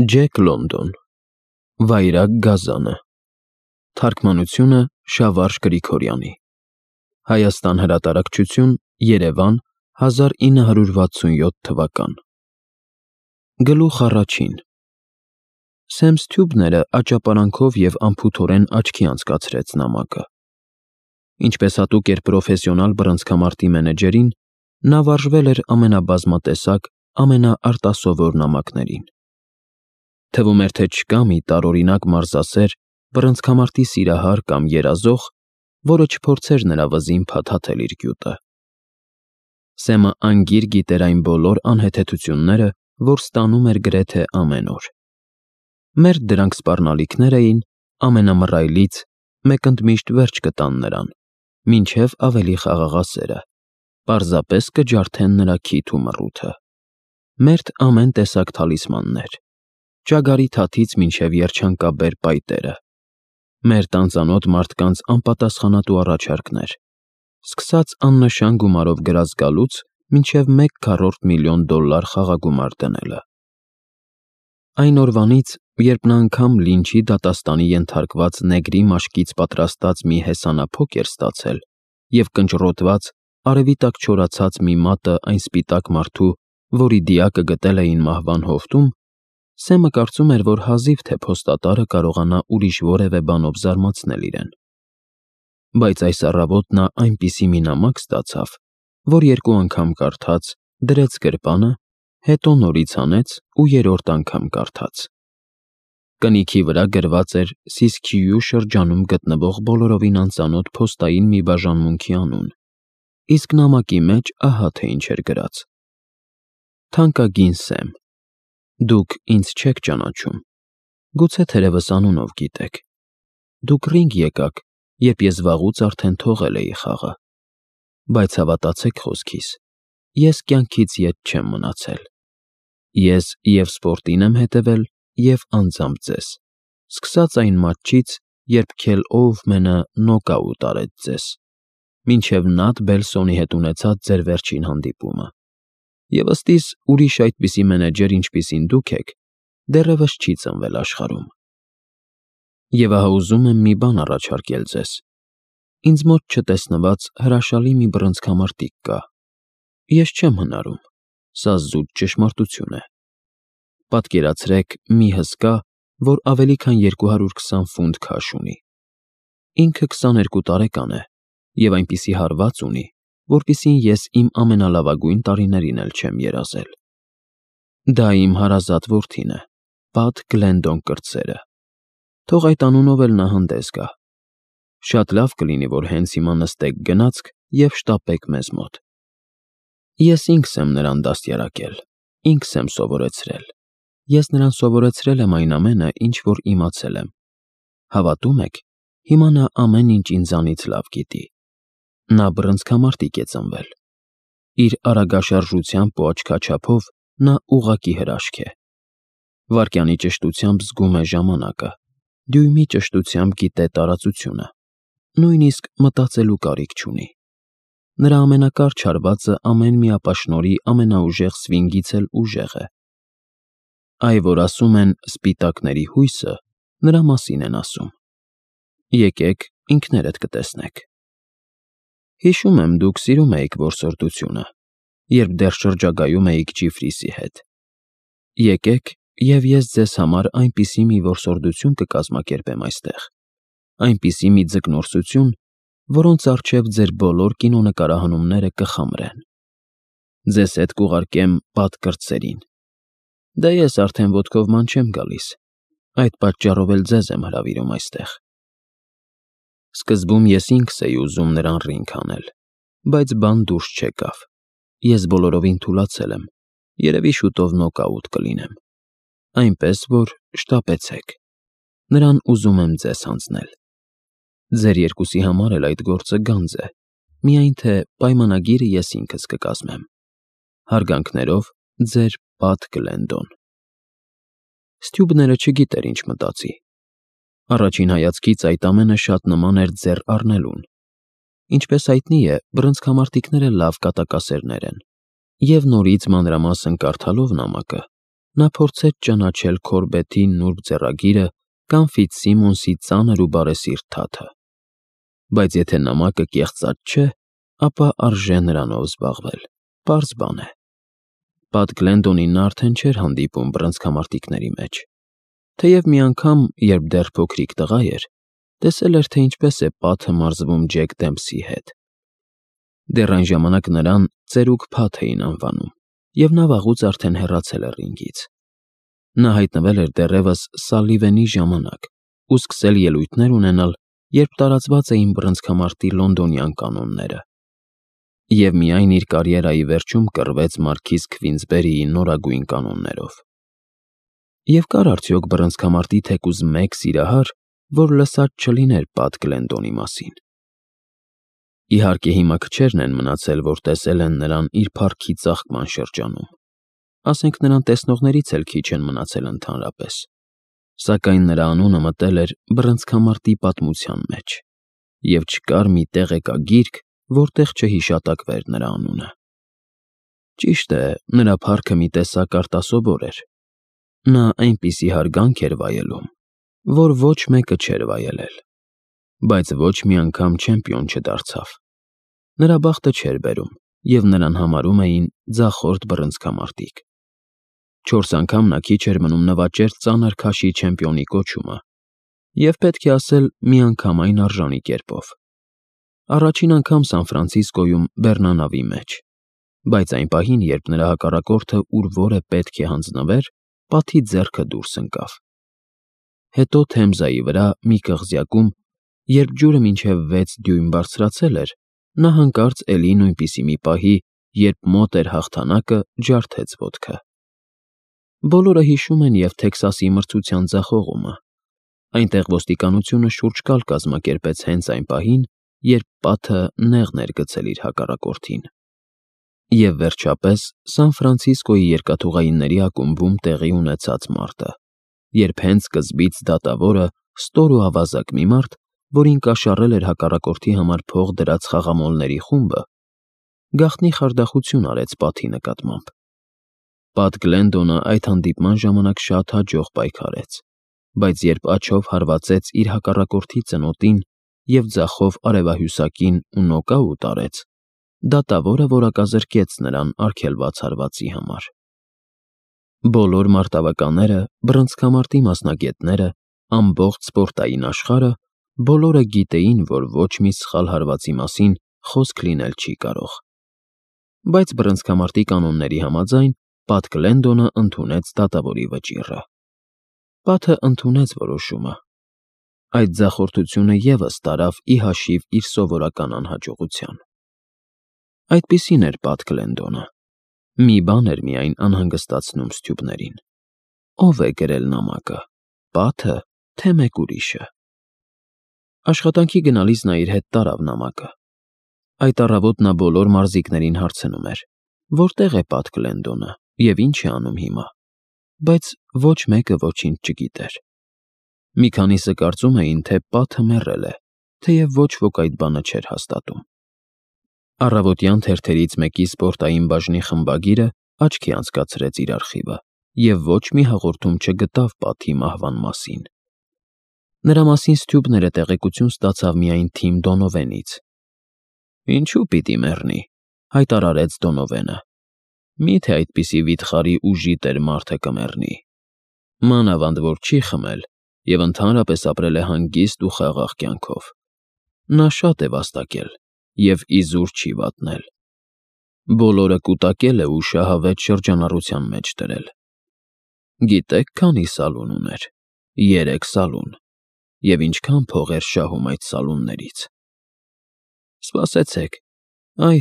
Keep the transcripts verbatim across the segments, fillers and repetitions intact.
Ջեք Լոնդոն, Վայրագ Գազանը, Թարգմանությունը Շավարժ Գրիգորյանի, Հայաստան հրատարակչություն, Երևան, հազար ինը հարյուր վաթսունյոթ թվական։ Գլուխ առաջին։ Սեմ Սթյուբները աճապարանքով և անփութորեն աչքի անցկացրեց նամակը։ Ինչպես հատուկ էր պրոֆեսիոնալ բռնցքամարտի մենեջերին, նա վարժվել էր ամենաբազմատեսակ, ամենաարտասովոր նամակներին։ Թվում էր, թե չկա մի տարօրինակ մարզասեր, բռնցքամարտի սիրահար կամ երազող, որը չփորձեր նրա վզին փաթաթել իր գյուտը։ Սեմը անգիր գիտեր այն բոլոր անհեթեթությունները, որ ստանում էր գրեթե ամեն օր։ Մերթ դրանք սպառնալիքներ էին, ամենամռայլից մեկ ընդմիշտ վերջ կտան նրան, մինչև ավելի խաղաղասերը, պարզապես կջարդեն նրա քիթ ու մռութը։ Մերթ ամեն տեսակ թալիսմաններ, ճագարի թաթից մինչև երջանկաբեր պայտերը, մերթ անծանոթ մարդկանց անպատասխանատու առաջարկներ, սկսած աննշան գումարով գրած գալուց մինչև մեկ քառորդ միլիոն դոլար խաղագումար դնելը։ Այն օրվանից, երբ նա անգամ լինչի դատաստանի ենթարկված նեգրի մաշկից պատրաստած մի հեսանափոք էր ստացել և կնճռոտված, արևի տակ չորացած մի մատը այն սպիտակ մարդու, որի դիակը գտել էին մահվան հովտում, Սեմը կարծում էր, որ հազիվ թե փոստատարը կարողանա ուրիշ որևէ բանով զարմացնել իրեն։ Բայց այս առավոտ նա այնպիսի մի նամակ ստացավ, որ երկու անգամ կարդաց, դրեց գրպանը, հետո նորից հանեց ու երրորդ անգամ կարդաց։ Կնիքի վրա գրված էր Սիսքյու շրջանում գտնվող բոլորովին անծանոթ փոստային մի բաժանմունքի անուն, իսկ նամակի մեջ ահա թե ինչ էր գրած. Թանկագին Սեմ, դուք ինձ չեք ճանաչում, գուցե թերևս անունով գիտեք։ Դուք ռինգ եկաք, երբ ես վաղուց արդեն թողել էի խաղը։ Բայց հավատացեք խոսքիս, ես կյանքից ետ չեմ մնացել։ Ես և սպորտին եմ հետևել, և անձամբ ձեզ, սկսած այն մատչից, երբ Քել Օուվմենը նոկաուտ արեց ձեզ, մինչև Նաթ Բելսոնի հետ ունեցած ձեր վերջին հանդիպումը։ Եվ ըստիս ուրիշ այդպիսի մենեջեր, ինչպիսին դուք եք, դեռևս չի ծնվել աշխարհում։ Եվ ահա ուզում եմ մի բան առաջարկել ձեզ. ինձ մոտ չտեսնված հրաշալի մի բռնցքամարտիկ կա։ Ես չեմ հնարում, սա զուտ ճշմարտություն է։ Պատկերացրեք մի հսկա, որ ավելի քան երկու հարյուր քսան ֆունտ քաշ ունի։ Ինքը քսաներկու տարեկան է և այնպիսի հարված ունի, որպիսին ես իմ ամենալավագույն տարիներին էլ չեմ երազել։ Դա իմ հարազատ որդին է, Պատ Գլենդոն կրտսերը։ Թող այդ անունով էլ նա հանդես գա։ Շատ լավ կլինի, որ հենց հիմա նստեք գնացք և շտապեք մեզ մոտ։ Ես ինքս եմ նրան դաստիարակել, ինքս եմ սովորեցրել։ Ես նրան սովորեցրել եմ այն ամենը, ինչ որ իմացել եմ։ Հավատո՞ւմ եք, հիմա նա ամեն ինչ ինձանից լավ գիտի։ Նա բռնցքամարտիկ է ծնվել։ Իր արագաշարժությամբ ու աչքաչափով նա ուղղակի հրաշք է։ Վայրկյանի ճշտությամբ զգում է ժամանակը, դյույմի ճշտությամբ գիտե տարածությունը, նույնիսկ մտածելու կարիք չունի։ Նրա ամենակարճ հարվածը ամեն մի ապաշնորհի ամենաուժեղ սվինգից էլ ուժեղ է։ Այ որ ասում են սպիտակների հույսը, նրա մասին են ասում։ Եկեք ինքներդ կտեսնեք։ Հիշում եմ, դուք սիրում էիք որսորդությունը, երբ դեռ շրջագայում էիք Ջիֆրիսի հետ։ Եկեք, և ես ձեզ համար այնպիսի մի որսորդություն կկազմակերպեմ այստեղ, այնպիսի մի ձկնորսություն, որոնց առջև ձեր բոլոր կինոնկարահանումները կխամրեն։ Ձեզ հետ կուղարկեմ Պատ կրտսերին։ Դե ես արդեն ոտքով ման չեմ գալիս, այդ պատճառով էլ ձեզ եմ հրավիրում այստեղ։ Սկզբում ես ինքս էի ուզում նրան ռինգ հանել, բայց բան դուրս չեկավ։ Ես բոլորովին թուլացել եմ, երևի շուտով նոկաուտ կլինեմ։ Այնպես որ շտապեցեք։ Նրան ուզում եմ ձեզ հանձնել։ Ձեր երկուսի համար էլ այդ գործը գանձ է, միայն թե պայմանագիրը ես ինքս կկազմեմ։ Հարգանքներով, ձեր Պատ Գլենդոն։ Սթյուբները չգիտեր ինչ մտածի։ Առաջին հայացքից այդ ամենը շատ նման էր ձեռ առնելուն։ Ինչպես հայտնի է, բռնցքամարտիկները լավ կատակասերներ են, և նորից մանրամասն կարդալով նամակը, նա փորձեց ճանաչել Քորբեթի նուրբ ձեռագիրը կամ Ֆիցսիմոնսի ծանր ու բարեսիրտ թաթը։ Բայց եթե նամակը կեղծած չէ, ապա արժե նրանով զբաղվել, պարզ բան է։ Պատ Գլենդոնին նա արդեն չէր հանդիպում բռնցքամարտիկների մեջ, թեև մի անգամ, երբ դեռ փոքրիկ տղա էր, տեսել էր, թե ինչպես է Պատը մարզվում Ջեք Դեմփսի հետ։ Դեռ այն ժամանակ նրան ծերուկ Փաթ էին անվանում, և նա վաղուց արդեն հեռացել էր ռինգից։ Նա հայտնվել էր դեռևս Սալիվանի ժամանակ ու սկսել ելույթներ ունենալ, երբ տարածված էին բռնցքամարտի լոնդոնյան կանոնները։ Եվ միայն իր կարիերայի վերջում կռվեց մարքիզ Քվինսբերիի նորագույն կանոններով։ Եվ կար արդյոք բռնցքամարտի թեկուզ մեկ սիրահար, որ լսած չլիներ Պատ Գլենդոնի մասին։ Իհարկե հիմա քչերն են մնացել, որ տեսել են նրան իր փառքի ծաղկման շրջանում, ասենք նրան տեսնողներից էլ քիչ են մնացել ընդհանրապես, սակայն նրա անունը մտել էր բռնցքամարտի պատմության մեջ, և չկար մի տեղեկագիրք, որտեղ չհիշատակվեր նրա անունը։ Ճիշտ է, նրա փառքը մի տեսակ արտասովոր էր։ Նա այնպիսի հարգանք էր վայելում, որ ոչ մեկը չէր վայելել, բայց ոչ մի անգամ չեմպիոն չդարձավ։ Նրա բախտը չէր բերում, և նրան համարում էին ձախորդ բռնցքամարտիկ։ Չորս անգամ նա քիչ էր մնում նվաճեր ծանր քաշի չեմպիոնի կոչումը, և պետք է ասել միանգամայն արժանի կերպով։ Առաջին անգամ Սան Ֆրանցիսկոյում բեռնանավի մեջ, բայց այն պահին, երբ նրա հակառակորդը ուր որ է պետք է հանձնվեր, Պատի ձեռքը դուրս ընկավ։ Հետո Թեմզայի վրա մի կղզյակում, երբ ջուրը մինչև վեց դյույմ բարձրացել էր, նա հանկարծ էլի նույնպիսի մի պահի, երբ մոտ էր հաղթանակը, ջարդեց ոտքը։ Բոլորը հիշում են և Թեքսասի մրցության ձախողումը։ Այնտեղ ոստիկանությունը շուրջ կալ կազմակերպեց հենց այն պահին, երբ Պատը նեղն էր գցել իր հակառակորդին։ Եվ վերջապես Սան Ֆրանցիսկոյի երկաթուղայինների ակումբում տեղի ունեցած մարտը, երբ հենց սկզբից դատավորը, ստոր ու ավազակ մի մարդ, որին կաշառել էր հակառակորդի համար փող դրած խաղամոլների խումբը, գաղտնի խարդախություն արեց Պատի նկատմամբ։ Պատ Գլենդոնը այդ հանդիպման ժամանակ շատ հաջող պայքարեց, բայց երբ աջով հարվածեց իր հակառակորդի ծնոտին և ձախով արևահյուսակին ու նոկաուտ արեց, դատավորը որակազրկեց նրան արգելված հարվածի համար։ Բոլոր մարտավականները, բռնցքամարտի մասնագետները, ամբողջ սպորտային աշխարհը, բոլորը գիտեին, որ ոչ մի սխալ հարվածի մասին խոսք լինել չի կարող։ Բայց բռնցքամարտի կանոնների համաձայն Պատ Գլենդոնը ընդունեց դատավորի վճիռը։ Պատը ընդունեց որոշումը։ Այդ ձախորդությունը ևս տարավ ի հաշիվ իր սովորական անհաջողության։ Այդպիսին էր Պատ Գլենդոնը։ Մի բան էր միայն անհանգստացնում Սթյուպներին. ով է գրել նամակը, Պատը, թե մեկ ուրիշը։ Աշխատանքի գնալիս նա իր հետ տարավ նամակը։ Այդ առավոտ նա բոլոր մարզիկներին հարցնում էր. որտե՞ղ է Պատ Գլենդոնը և ինչ է անում հիմա, բայց ոչ մեկը ոչինչ չգիտեր։ Մի քանիսը կարծում էին, թե Պատը մեռել է, թեև ոչ ոք այդ բանը չէր հաստատում։ Առավոտյան թերթերից մեկի սպորտային բաժնի խմբագիրը աչքի անցկացրեց իր արխիվը և ոչ մի հաղորդում չգտավ Պատի մահվան մասին։ Նրա մասին Սթյուպները տեղեկություն ստացավ միայն Թիմ Դոնովենից։ «Ինչու պիտի մեռնի», հայտարարեց Դոնովենը։ «Մի՞թե այդպիսի վիթխարի ու ժիտեր մարդը կմեռնի։ Մանավանդ որ չի խմել և ընդհանրապես ապրել է հանգիստ ու խաղաղ կյանքով։ Նա շատ է վաստակել և իզուր չի վատնել։ Բոլորը կուտակել է ու շահավետ շրջանառության մեջ դրել։ Գիտե՞ք քանի սալուն ուներ։ Երեք սալուն։ Եվ ինչքան փող էր շահում այդ սալուններից։ Սպասեցեք, այ,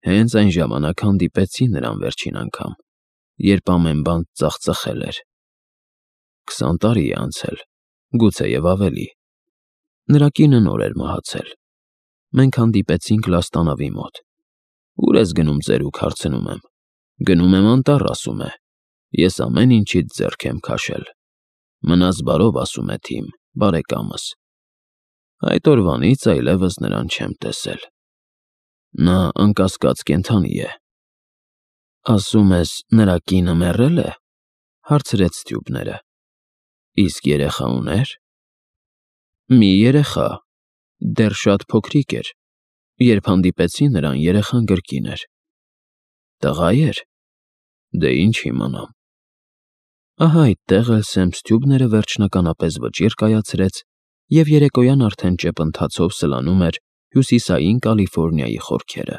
հենց այն ժամանակ հանդիպեցի նրան վերջին անգամ, երբ ամեն բան ծախծխել էր։ Քսան տարի է անցել, գուցեև ավելի։ Նրա կինը նոր էր մահացել։ Մենք հանդիպեցինք Լաստանավի մոտ։ Ո՞ւր ես գնում ծերուկ, հարցնում եմ։ Գնում եմ անտառ, ասում է։ Ես ամեն ինչից ձեռք եմ քաշել։ Մնաս բարով, ասում է Թիմ, բարեկամս։ Այդ օրվանից այլևս նրան չեմ տեսել։ Նա անկասկած կենդանի է։ Ասում ես, նրա կինը մեռել է։ հարցրեց Ստյուբները։ Իսկ երեխա ուներ։ Մի երեխա, դեռ շատ փոքրիկ էր, երբ հանդիպեցի նրան, երեխան գրկին էր։ Տղա էր։ Դե ինչ իմանամ։ Ահա այդտեղ էլ Սեմ Ստյուբները վերջնականապես վճիռ կայացրեց և երեկոյան արդեն ճեպ ընթացով սլանում էր Հյուսիսային Կալիֆոռնիայի խորքերը։